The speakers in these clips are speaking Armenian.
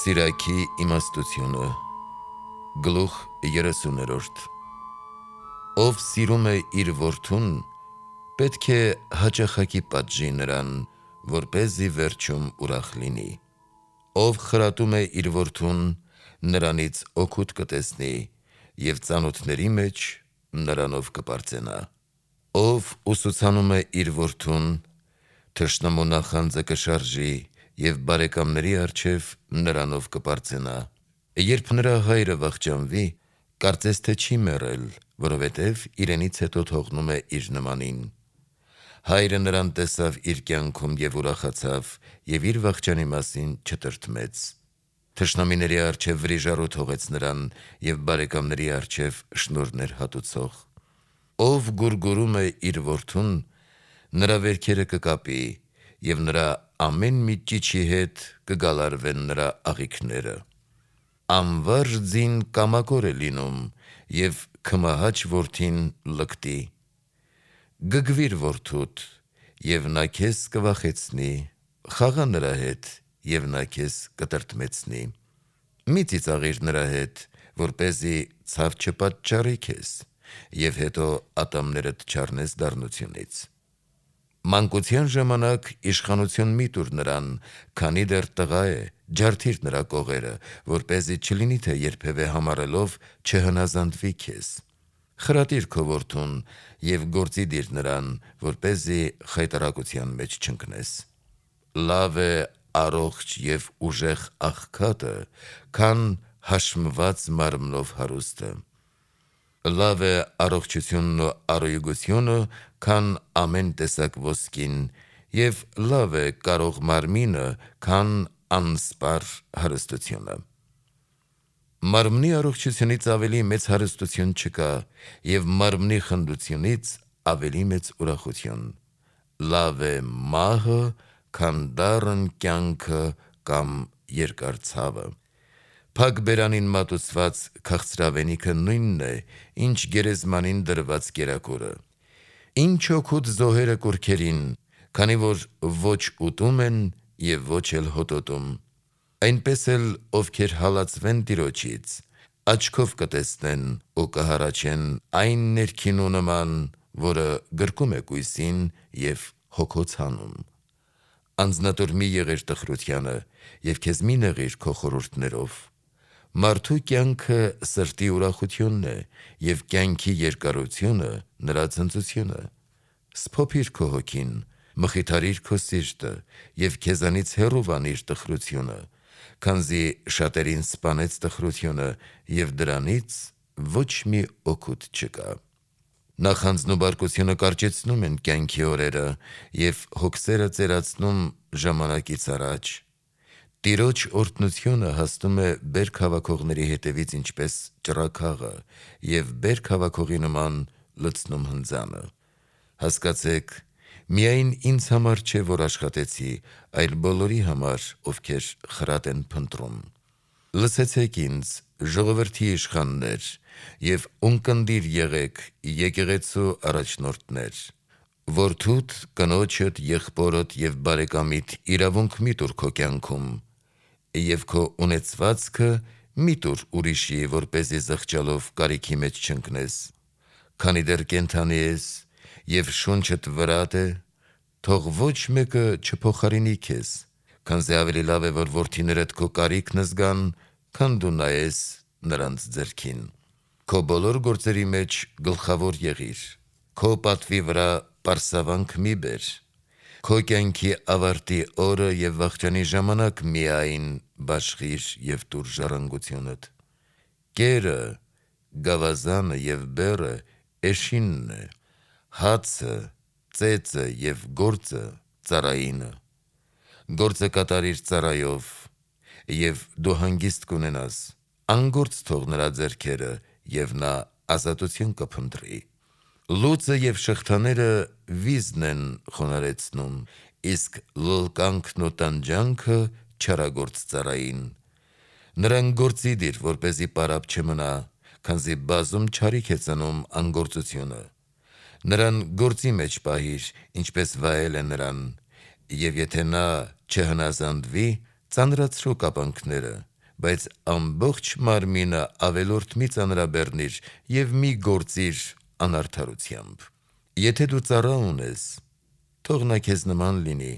Սիրակի իմաստությունը Գլուխ 30-րդ Ով սիրում է իր որդուն, պետք է հաճախակի պատժի նրան, որպեսզի վերջում ուրախ լինի։ Ով խրատում է իր որդուն, նրանից օգուտ կտեսնի, և ծանոթների մեջ նրանով կպարծենա։ Ով ուսուցանում է իր որդուն, թշնամու նախանձը կշարժի, և բարեկամների առջև նրանով կպարծենա։ Երբ նրա հայրը վախճանվի, կարծես թե չի մեռել, որովհետև իրենից հետո թողնում է իր նմանին։ Հայրը նրան տեսավ իր կյանքում և ուրախացավ, և իր վախճանի մասին չտրտմեց։ Թշնամիների առջև վրիժառու թողեց նրան, և բարեկամների առջև շնորհներ հատուցող։ Ով գուրգուրում է իր որդուն, նրա վերքերը կկապի, և նրա ամեն մի ճիչի հետ կգալարվեն նրա աղիքները։ Անվարժ ձին կամակոր է լինում, և քմահաճ որդին լկտի։ Գգվիր որդուդ, և նա քեզ կվախեցնի, խաղա նրա հետ, և նա քեզ կտրտմեցնի։ Մի ծիծաղիր նրա հետ, որպեսզի ցավ չպատճառի քեզ, և հետո ատամներդ չառնես դառնությունից։ Մանկության ժամանակ իշխանություն մի տուր նրան, քանի դեռ տղա է, ջարդիր նրա կողերը, որպեսզի չլինի, թե երբևէ համառելով չհնազանդվի քեզ։ Խրատիր քո որդուն և գործի դիր նրան, որպեսզի խայտառակության մեջ չընկնես։ Լավ է առողջ և ուժեղ աղքատը, քան հաշմված մարմնով հարուստը։ Լավ է առողջությունն ու առուգությունը, քան ամեն տեսակ ոսկին, և լավ է կարող մարմինը, քան անսպառ հարստությունը։ Մարմնի առողջությունից ավելի մեծ հարստություն չկա, և մարմնի խնդությունից ավելի մեծ ուրախություն։ Լավ է մահը, քան դառն կյանքը կամ երկար ցավը։ Փակ բերանին մատուցված քաղցրավենիքը նույնն է, ինչ գերեզմանին դրված կերակուրը։ Ինչ օգուտ զոհերը կուռքերին, քանի որ ոչ ուտում են և ոչ էլ հոտոտում։ Այնպես էլ ովքեր հալածվեն Տիրոջից, աչքով կտեսնեն ու կհառաչեն այն ներքինու նման, որը գրկում է կույսին և հոգոց հանում։ Անձնատուր մի եղիր տխրությանը, և քեզ մի նեղիր քո խորհուրդներով։ Մարդու կյանքը սրտի ուրախությունն է, և կյանքի երկարությունը նրա ցնծությունը։ Սփոփիր քո հոգին, մխիթարիր քո սիրտը, և քեզանից հեռու վանիր տխրությունը, քանզի շատերին սպանեց տխրությունը, և դրանից ոչ մի օգուտ չկա։ Նախանձն ու բարկությունը կարճեցնում են կյանքի օրերը, և հոգսերը ծերացնում ժամանակից առաջ։ Տիրոջ օրհնությունը հասնում է բերք հավաքողների հետևից ինչպես ճռագաղը, և բերք հավաքողի նման լցնում հնձանը։ Հասկացեք, միայն ինձ համար չէ, որ աշխատեցի, այլ բոլորի համար, ովքեր խրատ են փնտրում։ Լսեցեք ինձ, ժողովրդի իշխաններ, և ունկնդիր եղեք, եկեղեցու առաջնորդներ։ Որդուդ, կնոջդ, եղբորդ և բարեկամիդ իրավունք մի տուր քո կյանքում, և քո ունեցվածքը մի տուր ուրիշի, որպեսզի զղջալով կարիքի մեջ չընկնես։ Քանի դեռ կենդանի ես, և շունչդ վրատ է, թող ոչ մեկը չփոխարինի քեզ, քանզի ավելի լավ է, որ որդիներդ քո կարիքն զգան, քան դու նայես նրանց ձեռքին։ Քո բոլոր գործերի մեջ գլխավոր եղիր, քո պատվի վրա պարսավանք մի բեր։ Քո կյանքի ավարտի օրը և վախճանի ժամանակ միայն բաշխիր և տուր ժառանգությունդ։ Կերը, գավազանը և բեռը էշինն է, հացը, ծեծը և գործը ծառայինը։ Գործը կատարիր ծառայով, և դու հանգիստ կունենաս։ Անգործ թող նրա ձեռքերը, և նա ազատություն կփնտրի։ Լուծը և շղթաները վիզն են խոնարհեցնում, իսկ լլկանքն ու տանջանքը չարագործ ծառային։ Նրան գործի դիր, որպեսզի պարապ չմնա, քանզի բազում չարիք է ծնում անգործությունը։ Նրան գործի մեջ պահիր, ինչպես վայել է նրան, և եթե նա չհնազանդվի, ծանրացրու կապանքները, բայց ամբողջ մարմինը ավելորդ մի ծանրաբեռնիր և մի գործիր անարդարությամբ։ Եթե դու ծառա ունես, թող նա քեզ նման լինի,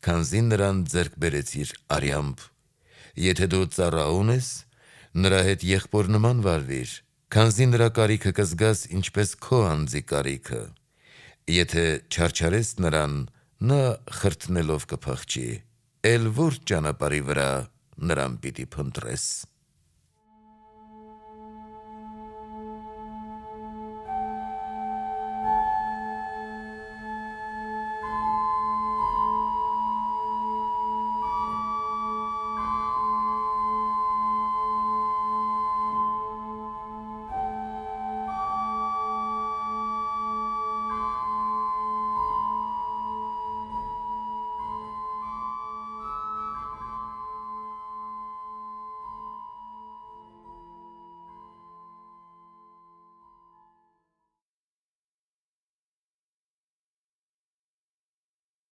քանզի նրան ձեռք բերեցիր արյամբ։ Եթե դու ծառա ունես, նրա հետ եղբոր նման վարվիր, քանզի նրա կարիքը կզգաս ինչպես քո անձի կարիքը։ Եթե չարչարես նրան, նա խրտնելով կփախչի, էլ որ ճանապարհի վրա նրան պիտի փնտրես։